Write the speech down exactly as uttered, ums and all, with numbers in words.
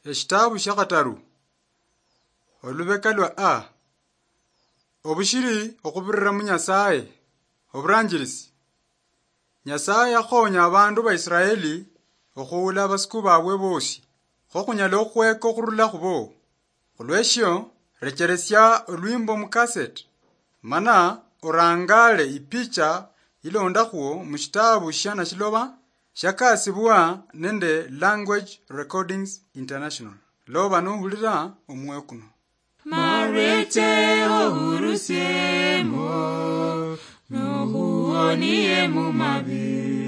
Eshitaabu shia khataru, olubeka lwa A. Obushiri okhubirira mu Nyasaye. Oburanjirisi. Nyasaye yakhonya abandu ba Israeli okhuula abasuku babwe bosi, kho khunyala okhweka okhurula khubo. Khulweshio, recheresia olwimbo mu cassette, mana orangale ipicha ilondakhwo mu shitabu shia Nashiloba shiakasibwa nende Language Recordings International. Loba nohulira omwoyo kuno. Mareche ohurusiemo, nohuonie mu mabi.